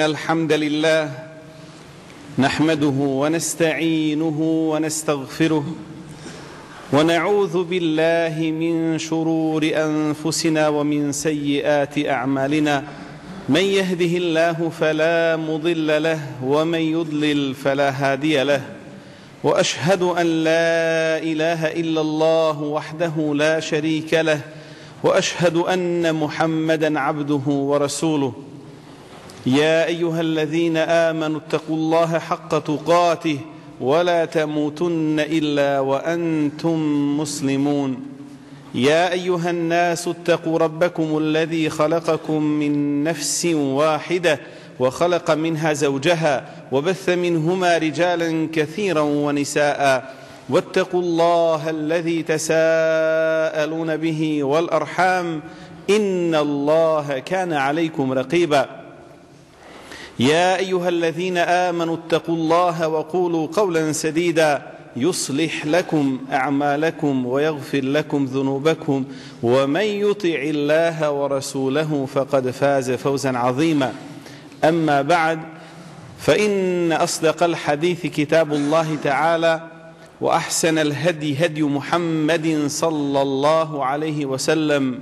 الحمد لله نحمده ونستعينه ونستغفره ونعوذ بالله من شرور أنفسنا ومن سيئات أعمالنا من يهده الله فلا مضل له ومن يضلل فلا هادي له وأشهد أن لا إله إلا الله وحده لا شريك له وأشهد أن محمدا عبده ورسوله يا أيها الذين آمنوا اتقوا الله حق تقاته ولا تموتن إلا وأنتم مسلمون يا أيها الناس اتقوا ربكم الذي خلقكم من نفس واحدة وخلق منها زوجها وبث منهما رجالا كثيرا ونساء واتقوا الله الذي تساءلون به والأرحام إن الله كان عليكم رقيبا يا أيها الذين آمنوا اتقوا الله وقولوا قولا سديدا يصلح لكم أعمالكم ويغفر لكم ذنوبكم ومن يطع الله ورسوله فقد فاز فوزا عظيما أما بعد فإن أصدق الحديث كتاب الله تعالى وأحسن الهدي هدي محمد صلى الله عليه وسلم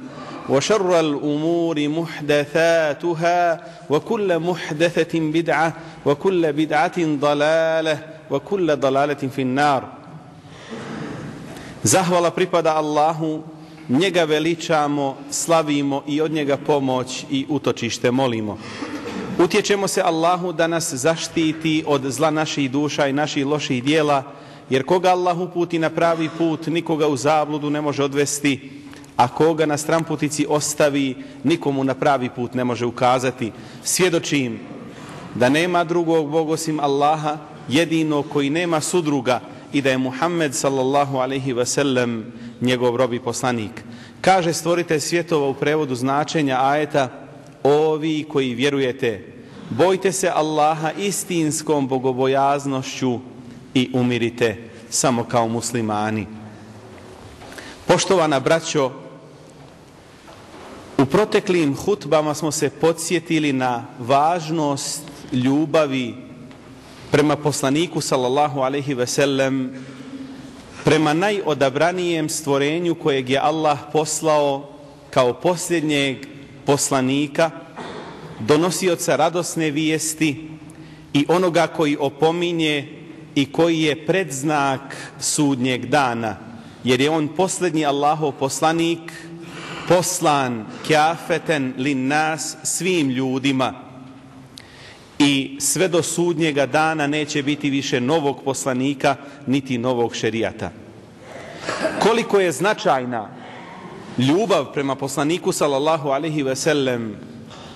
وشر الأمور محدثاتها وكل محدثة بدعة وكل بدعة ضلالة وكل ضلالة في النار. Zahvala pripada Allahu, njega veličamo, slavimo i od njega pomoć i utočište molimo. Utječemo se Allahu da nas zaštiti od zla naših duša i naših loših dijela, jer koga Allah uputi na pravi put, nikoga u zabludu ne može odvesti, a koga na stramputici ostavi, nikomu na pravi put ne može ukazati. Svjedočim da nema drugog Boga osim Allaha, jedino koji nema sudruga, i da je Muhammed sallallahu alejhi ve sellem njegov rob i poslanik. Kaže stvoritelj svjetova u prevodu značenja ajeta: ovi koji vjerujete, bojte se Allaha istinskom bogobojaznošću i umirite samo kao muslimani. Poštovana braćo, u proteklim hutbama smo se podsjetili na važnost ljubavi prema poslaniku sallallahu alejhi ve sellem, prema najodabranijem stvorenju kojeg je Allah poslao kao posljednjeg poslanika, donosioca radosne vijesti i onoga koji opominje i koji je predznak sudnjeg dana, jer je on posljednji Allahov poslanik, poslan kafeten lin nas, svim ljudima, i sve do sudnjega dana neće biti više novog poslanika niti novog šerijata. Koliko je značajna ljubav prema poslaniku sallallahu alejhi ve sellem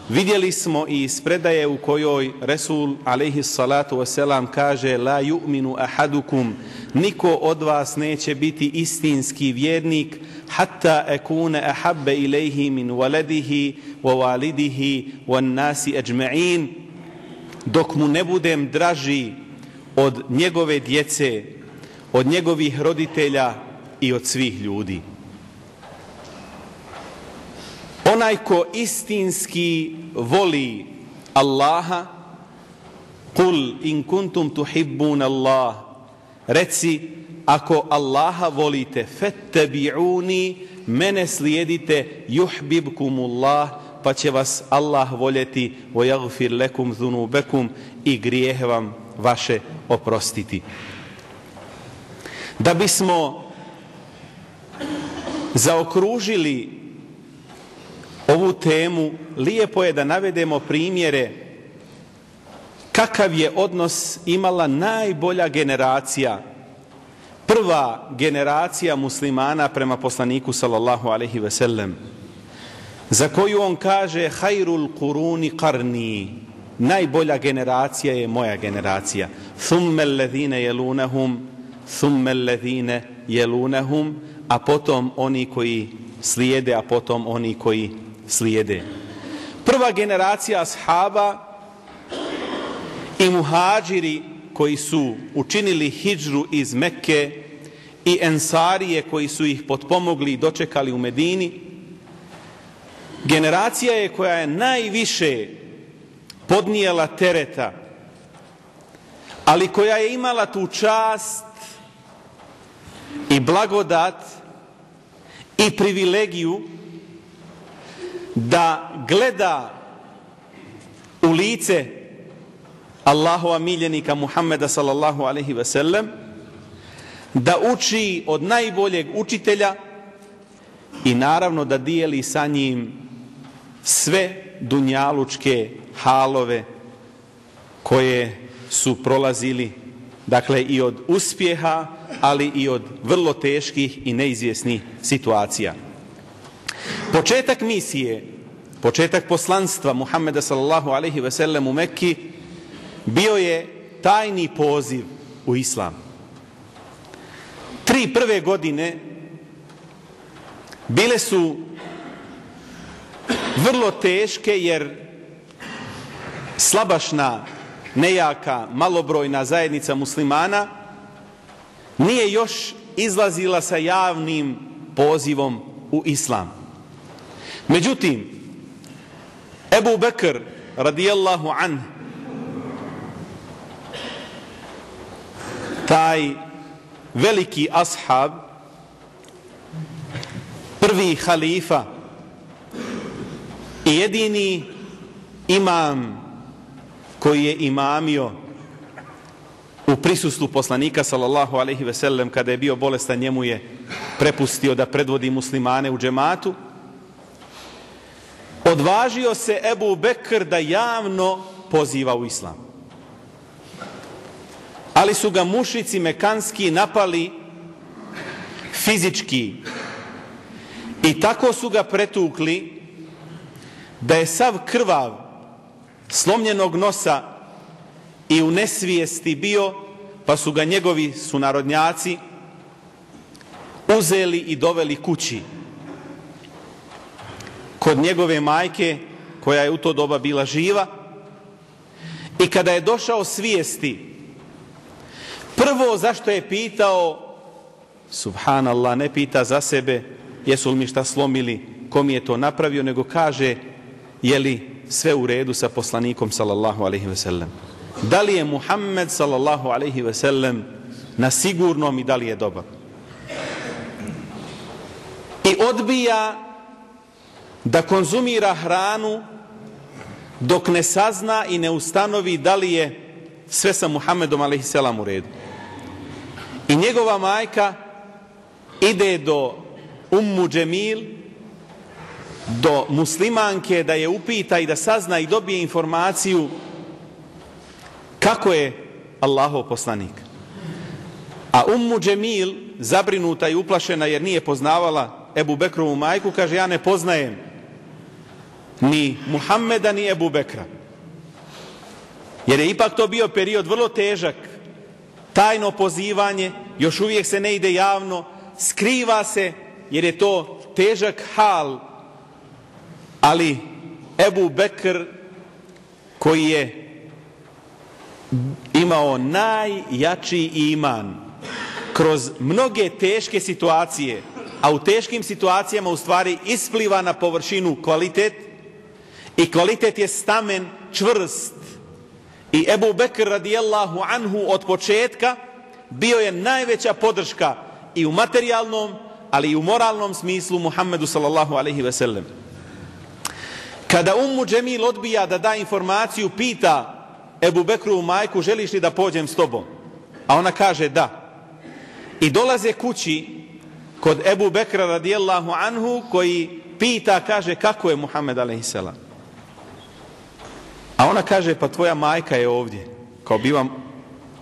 vidjeli smo i iz predaje u kojoj Resul alejhi salatu vesselam kaže: la yu'minu ahadukum, niko od vas neće biti istinski vjernik hatta akuna ahabba ilayhi min waladihi wa walidihi wan nasi ajma'in, dok mu ne budem draži od njegove djece, od njegovih roditelja i od svih ljudi. Onaj ko istinski voli Allaha, kul in kuntum tuhibbun Allah, reci, ako Allaha volite, fettabi'uni, mene slijedite, yuhbibkumullah, pa će vas Allah voljeti, wa yaghfir lakum dhunubakum, i grijehe vam vaše oprostiti. Da bismo zaokružili ovu temu, lijepo je da navedemo primjere kakav je odnos imala najbolja generacija, prva generacija muslimana prema poslaniku sallallahu alejhi ve sellem, za koju on kaže hayrul quruni qarni, najbolja generacija je moja generacija, thumma alladhina yalunhum, thumma alladhina yalunhum, a potom oni koji slijede, a potom oni koji slijede. Prva generacija ashaba i muhađiri koji su učinili hidžru iz Mekke i ensarije koji su ih potpomogli i dočekali u Medini, generacija je koja je najviše podnijela tereta, ali koja je imala tu čast i blagodat i privilegiju da gleda u lice Allahova miljenika Muhammeda sallallahu alejhi ve sellem, da uči od najboljeg učitelja i naravno da dijeli sa njim sve dunjalučke halove koje su prolazili, dakle i od uspjeha, ali i od vrlo teških i neizvjesnih situacija. Početak misije, početak poslanstva Muhammeda sallallahu alejhi ve sellem u Mekki bio je tajni poziv u islam. 3 prve godine bile su vrlo teške, jer slabašna, nejaka, malobrojna zajednica muslimana nije još izlazila sa javnim pozivom u islam. Međutim, Ebu Bekr radijallahu anhu, taj veliki ashab, prvi halifa i jedini imam koji je imamio u prisustvu poslanika sallallahu alejhi ve sellem, kada je bio bolestan, njemu je prepustio da predvodi muslimane u džematu, odvažio se Ebu Bekr da javno poziva u islam. Ali su ga mušici mekanski napali fizički i tako su ga pretukli da je sav krvav, slomljenog nosa i u nesvijesti bio, pa su ga njegovi sunarodnjaci uzeli i doveli kući kod njegove majke, koja je u to doba bila živa. I kada je došao svijesti, prvo zašto je pitao, subhanallah, ne pita za sebe jesu li mi šta slomili, ko mi je to napravio, nego kaže je li sve u redu sa poslanikom sallallahu alejhi ve sellem, da li je Muhammed sallallahu alejhi ve sellem na sigurnom i da li je dobar. I odbija da konzumira hranu dok ne sazna i ne ustanovi da li je sve sa Muhammedom alejhi selam u redu. I njegova majka ide do Ummu Džemil, do muslimanke, da je upita i da sazna i dobije informaciju kako je Allahov poslanik. A Ummu Džemil, zabrinuta i uplašena jer nije poznavala Ebu Bekrovu majku, kaže ja ne poznajem ni Muhammeda ni Ebu Bekra. Jer je ipak to bio period vrlo težak, tajno pozivanje, još uvijek se ne ide javno, skriva se jer je to težak hal, ali Ebu Bekr, koji je imao najjači iman kroz mnoge teške situacije, a u teškim situacijama u stvari ispliva na površinu kvalitet, i kvalitet je stamen čvrst. I Ebu Bekr radijallahu anhu od početka bio je najveća podrška i u materijalnom, ali i u moralnom smislu Muhammedu sallallahu alejhi ve sellem. Kada Ummu Džemil odbija da da informaciju, pita Ebu Bekrovu majku, želiš li da pođem s tobom? A ona kaže da. I dolaze kući kod Ebu Bekra radijallahu anhu, koji pita, kaže, kako je Muhammed a.s. A ona kaže, pa tvoja majka je ovdje. Kao bi vam,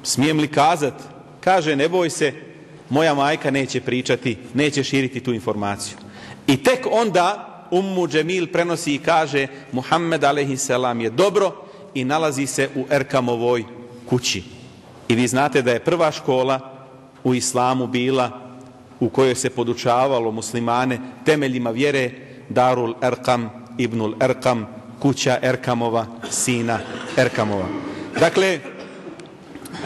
smijem li kazat? Kaže, ne boj se, moja majka neće pričati, neće širiti tu informaciju. I tek onda Ummu Džemil prenosi i kaže, Muhammed a.s. je dobro i nalazi se u Erkamovoj kući. I vi znate da je prva škola u islamu bila u kojoj se podučavalo muslimane temeljima vjere, Darul Erkam, Ibnul Erkam, kuća Erkamova, sina Erkamova. Dakle,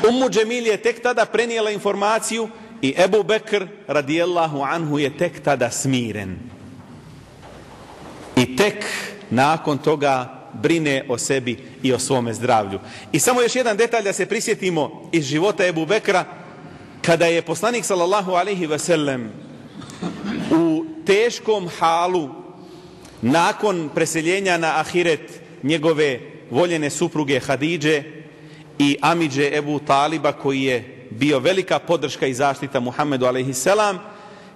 Ummu Džemil je tek tada prenijela informaciju i Ebu Bekr radijallahu anhu je tek tada smiren. I tek nakon toga brine o sebi i o svome zdravlju. I samo još jedan detalj da se prisjetimo iz života Ebu Bekra, kada je poslanik sallallahu alejhi ve sellem u teškom halu nakon preseljenja na ahiret njegove voljene supruge Hadidže i amidže Ebu Taliba, koji je bio velika podrška i zaštita Muhammedu alejhi selam,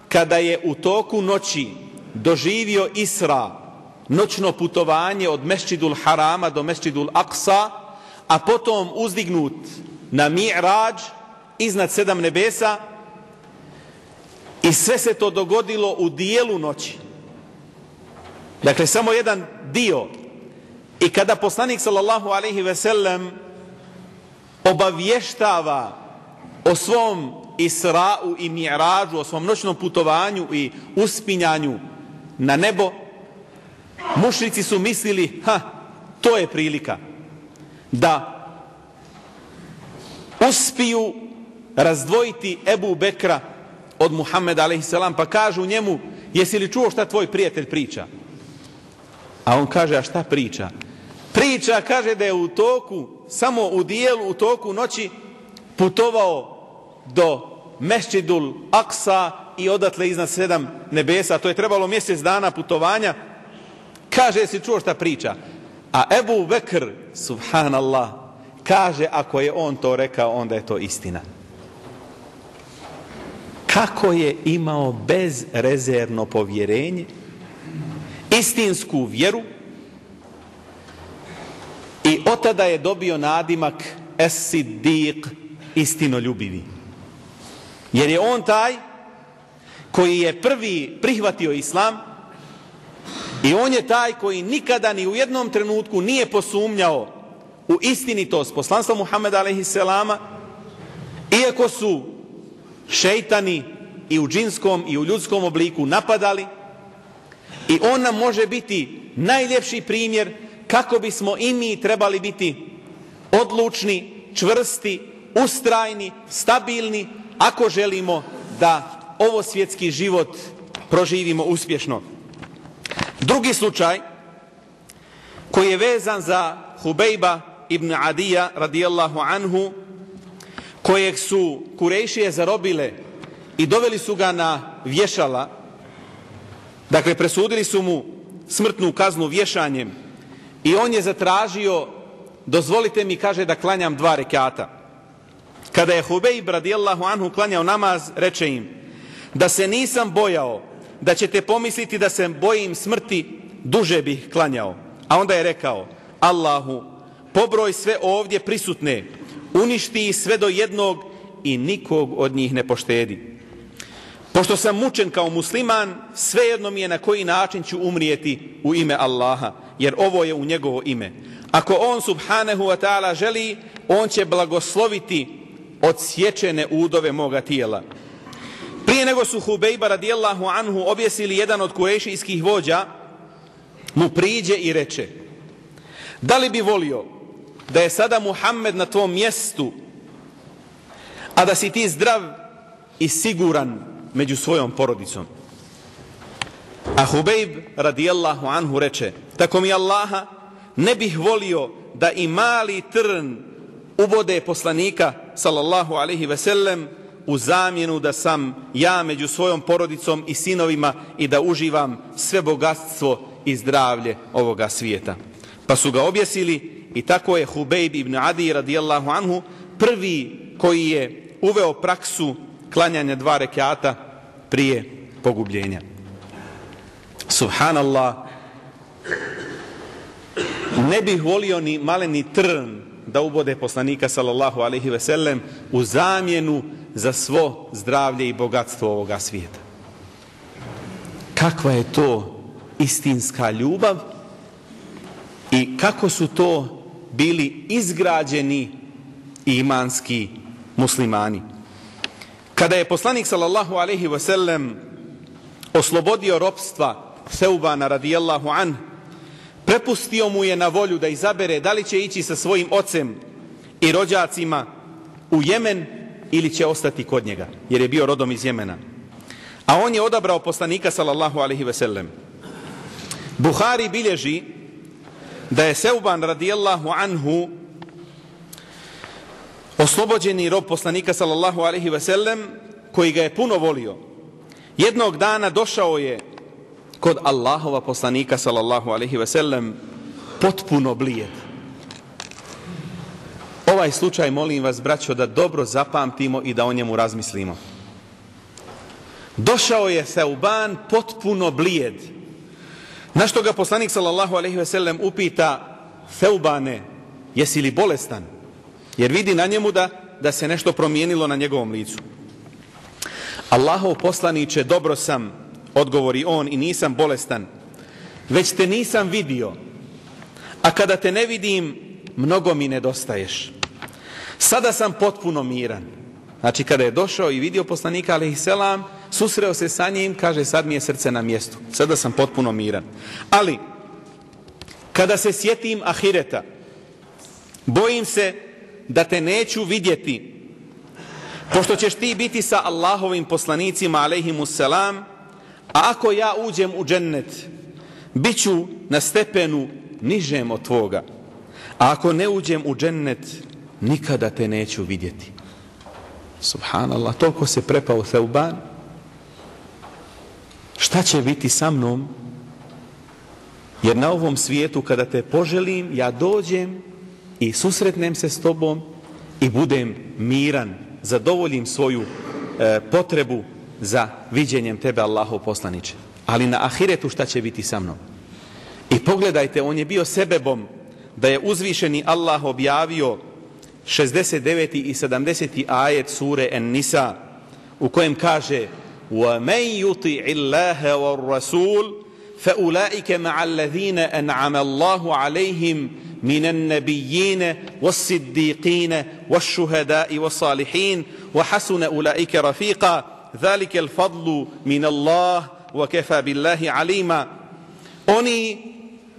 kada je u toku noći doživio Isra, noćno putovanje od Mesdžidul Harama do Mesdžidul Aksa, a potom uzdignut na Mi'rađ iznad 7 nebesa, i sve se to dogodilo u dijelu noći. Dakle, samo jedan dio. I kada poslanik sallallahu alejhi ve sellem obavještava o svom Isra'u i Mi'rađu, o svom noćnom putovanju i uspinjanju na nebo, mušrici su mislili, to je prilika da uspiju razdvojiti Ebu Bekra od Muhammeda a.s. pa kažu njemu, jesi li čuo šta tvoj prijatelj priča? A on kaže, a šta priča? Priča, kaže, da je u toku, samo u dijelu, u toku noći putovao do Mesdžidul Aksa i odatle iznad 7 nebesa. To je trebalo mjesec dana putovanja. Kaže, jesi čuo šta priča? A Ebu Bekr, subhanallah, kaže, ako je on to rekao, onda je to istina. Kako je imao bezrezervno povjerenje, istinsku vjeru, i od tada je dobio nadimak Es-Siddiq, istinoljubivi. Jer je on taj koji je prvi prihvatio islam i on je taj koji nikada ni u jednom trenutku nije posumnjao u istinitost poslanstva Muhammeda a.s. iako su šejtani i u džinskom i u ljudskom obliku napadali. I on nam može biti najljepši primjer kako bismo i mi trebali biti odlučni, čvrsti, ustrajni, stabilni, ako želimo da ovo svjetski život proživimo uspješno. Drugi slučaj koji je vezan za Hubejba ibn Adija radijallahu anhu, kojeg su Kurejšije zarobile i doveli su ga na vješala. Dakle, presudili su mu smrtnu kaznu vješanjem i on je zatražio, dozvolite mi, kaže, da klanjam 2 rekata. Kada je Hubejb radijallahu anhu klanjao namaz, reče im, da se nisam bojao da ćete pomisliti da se bojim smrti, duže bih klanjao. A onda je rekao, Allahu, pobroj sve ovdje prisutne, uništi ih sve do jednog i nikog od njih ne poštedi. Pošto sam mučen kao musliman, svejedno mi je na koji način ću umrijeti u ime Allaha, jer ovo je u njegovo ime. Ako on subhanahu wa ta'ala želi, on će blagosloviti odsječene udove moga tijela. Prije nego su Hubejba radijallahu anhu objesili, jedan od kurejšijskih vođa mu priđe i reče, da li bi volio da je sada Muhammed na tvom mjestu, a da si ti zdrav i siguran među svojom porodicom? A Hubejb radijallahu anhu reče, tako mi Allaha, ne bih volio da i mali trn ubode poslanika sallallahu alaihi ve sellem u zamjenu da sam ja među svojom porodicom i sinovima i da uživam sve bogatstvo i zdravlje ovoga svijeta. Pa su ga objesili i tako je Hubejb ibn Adi radijallahu anhu prvi koji je uveo praksu klanjanja 2 rekata prije pogubljenja. Subhanallah, ne bih volio ni maleni trn da ubode poslanika sallallahu alaihi ve sellem u zamjenu za svo zdravlje i bogatstvo ovoga svijeta. Kakva je to istinska ljubav i kako su to bili izgrađeni imanski muslimani. Kada je poslanik sallallahu alaihi ve sellem oslobodio ropstva Seubana radijallahu an, prepustio mu je na volju da izabere da li će ići sa svojim ocem i rođacima u Jemen ili će ostati kod njega, jer je bio rodom iz Jemena. A on je odabrao poslanika sallallahu alaihi ve sellem. Buhari bilježi da je Seuban radijallahu anhu oslobođeni rob poslanika sallallahu alaihi ve sellem, koji ga je puno volio. Jednog dana došao je kod Allahova poslanika sallallahu alaihi ve sellem potpuno blijed. Ovaj slučaj, molim vas, braćo, da dobro zapamtimo i da o njemu razmislimo. Došao je Seuban potpuno blijed. Na što ga poslanik sallallahu alaihi ve sellem upita: Seubane, jesi li bolestan? Jer vidi na njemu da se nešto promijenilo na njegovom licu. Allahov poslaniče, dobro sam, odgovori on, i nisam bolestan, već te nisam vidio, a kada te ne vidim, mnogo mi nedostaješ. Sada sam potpuno miran. Znači, kada je došao i vidio poslanika alejselam, susreo se sa njim, kaže: sad mi je srce na mjestu, sada sam potpuno miran. Ali kada se sjetim ahireta, bojim se da te neću vidjeti, pošto ćeš ti biti sa Allahovim poslanicima alejhimusselam, a ako ja uđem u džennet, bit ću na stepenu nižem od tvoga, a ako ne uđem u džennet, nikada te neću vidjeti. Subhanallah, toliko se prepao Seuban. Šta će biti sa mnom? Jer na ovom svijetu kada te poželim, ja dođem i susretnem se s tobom i budem miran, zadovoljim svoju potrebu za viđenjem tebe, Allahov poslaniče. Ali na ahiretu šta će biti sa mnom? I pogledajte, on je bio sebebom da je uzvišeni Allah objavio 69. i 70. ajet sure En-Nisa, u kojem kaže: وَمَنْ يُطِعِ اللَّهَ وَالرَّسُولِ فَأُولَئِكَ مَعَ الَّذِينَ أَنْعَمَ اللَّهُ عَلَيْهِمْ مِنَ النَّبِيِّينَ وَالصِّدِّيقِينَ وَالشُّهَدَاءِ وَالصَّالِحِينَ وَحَسُنَ أُولَئِكَ رَفِيقًا ذَلِكَ الْفَضْلُ مِنَ اللَّهِ وَكَفَى بِاللَّهِ عَلِيمًا. Oni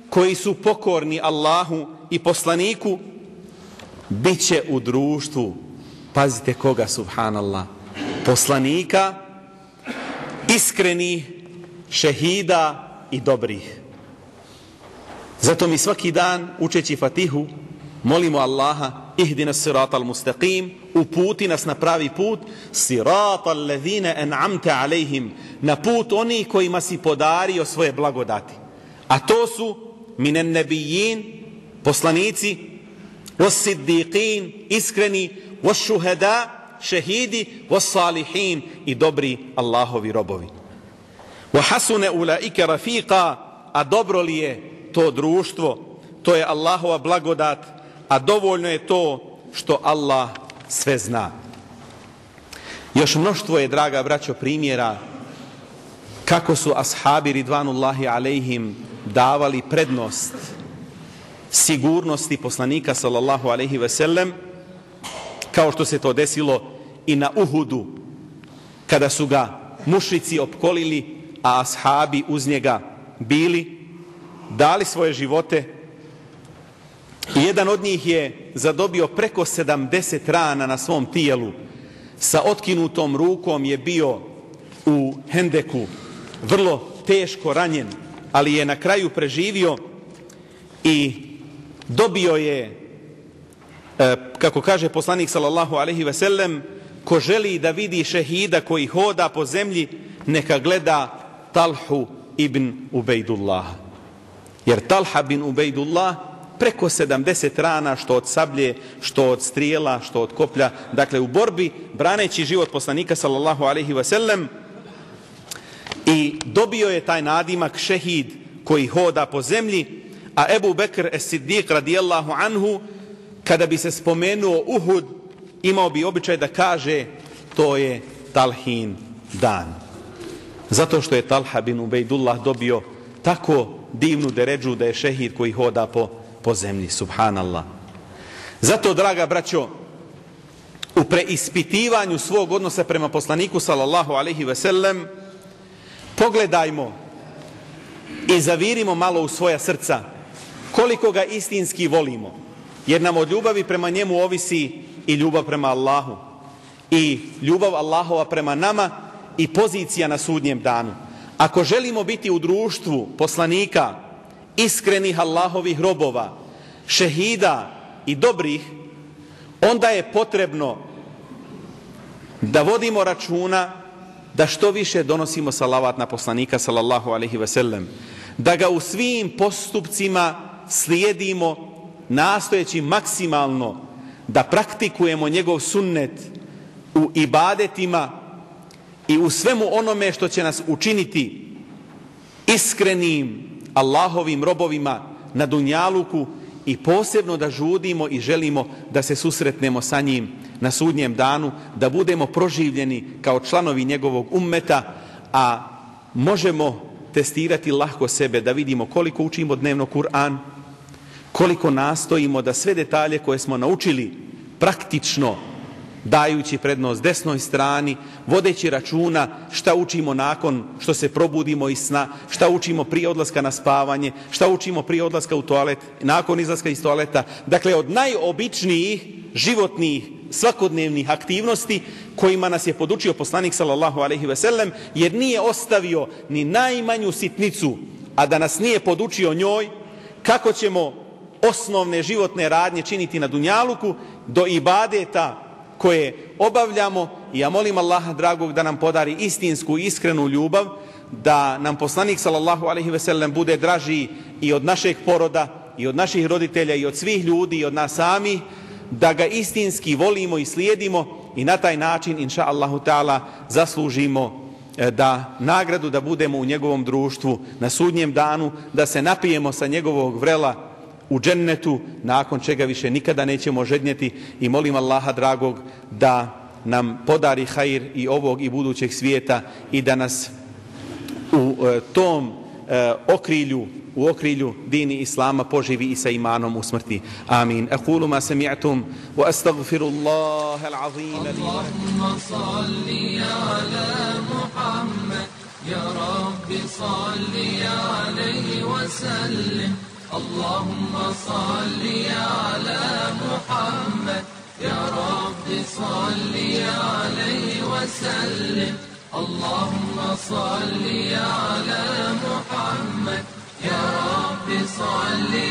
koji su pokorni Allahu i poslaniku bit će u društvu, pazite koga, subhanallah, poslanika, iskrenih, šehida i dobrih. Zato mi svaki dan, učeći Fatihu, molimo Allaha: ihdina siratal mustaqim, uputi nas na pravi put, siratal ladhina an'amta alejhim, na put onih kojima si podario svoje blagodati. A to su minen nebijin, poslanici, was-siddiqin, iskreni, was-shuhada, šehidi, was-salihin, i dobri Allahovi robovi. Wa hasuna ulaika rafiqa, a dobro li je to društvo? To je Allahova blagodat, a dovoljno je to što Allah sve zna. Još mnoštvo je, draga braćo, primjera kako su ashabi ridvanullahi alejhim davali prednost sigurnosti poslanika sallallahu alejhi ve sellem, kao što se to desilo i na Uhudu, kada su ga mušrici opkolili, a ashabi uz njega bili, dali svoje živote. I jedan od njih je zadobio preko 70 rana na svom tijelu. Sa otkinutom rukom je bio u Hendeku, vrlo teško ranjen, ali je na kraju preživio i dobio je kako kaže poslanik sallallahu alejhi ve sellem, ko želi da vidi šehida koji hoda po zemlji, neka gleda Talhu ibn Ubejdullah. Jer Talha bin Ubejdullah preko 70 rana, što od sablje, što od strijela, što od koplja, dakle u borbi, braneći život poslanika sallallahu alejhi ve sellem, i dobio je taj nadimak šehid koji hoda po zemlji. A Ebu Bekr es-Siddiq radijallahu anhu, kada bi se spomenuo Uhud, imao bi običaj da kaže to je Talhin dan. Zato što je Talha bin Ubejdullah dobio tako divnu deredžu da je šehid koji hoda po zemlji. Subhanallah. Zato, draga braćo, u preispitivanju svog odnosa prema poslaniku sallallahu alejhi ve sellem, pogledajmo i zavirimo malo u svoja srca koliko ga istinski volimo, jer nam od ljubavi prema njemu ovisi i ljubav prema Allahu, i ljubav Allahova prema nama, i pozicija na sudnjem danu. Ako želimo biti u društvu poslanika, iskrenih Allahovih robova, šehida i dobrih, onda je potrebno da vodimo računa da što više donosimo salavat na poslanika sallallahu alejhi ve sellem, da ga u svim postupcima slijedimo, nastojeći maksimalno da praktikujemo njegov sunnet u ibadetima i u svemu onome što će nas učiniti iskrenim Allahovim robovima na dunjaluku, i posebno da žudimo i želimo da se susretnemo sa njim na sudnjem danu, da budemo proživljeni kao članovi njegovog ummeta. A možemo testirati lahko sebe, da vidimo koliko učimo dnevno Kur'an, koliko nastojimo da sve detalje koje smo naučili praktično, dajući prednost desnoj strani, vodeći računa šta učimo nakon što se probudimo iz sna, šta učimo prije odlaska na spavanje, šta učimo prije odlaska u toalet, nakon izlaska iz toaleta. Dakle, od najobičnijih životnih svakodnevnih aktivnosti kojima nas je podučio poslanik sallallahu alejhi ve sellem, jer nije ostavio ni najmanju sitnicu, a da nas nije podučio njoj, kako ćemo osnovne životne radnje činiti na dunjaluku, do ibadeta koje obavljamo. I ja molim Allaha dragog da nam podari istinsku, iskrenu ljubav, da nam poslanik sallallahu alejhi ve sellem bude draži i od našeg poroda, i od naših roditelja, i od svih ljudi, i od nas sami, da ga istinski volimo i slijedimo, i na taj način, inša Allahu ta'ala, zaslužimo da nagradu da budemo u njegovom društvu na sudnjem danu, da se napijemo sa njegovog vrela u džennetu, nakon čega više nikada nećemo žednjeti. I molim Allaha dragog da nam podari hajr i ovog i budućeg svijeta, i da nas u tom okrilju dini Islama poživi i sa imanom u smrti. Amin. Aqulu ma sami'tum wa astaghfirullaha al-azim li. Allahumma salli ala Muhammad ya rabbi salli alayhi wa sallim. Allahumma salli ala Muhammad ya rabbi salli alayhi wa sallim. Allahumma salli ala Muhammad ya rabbi salli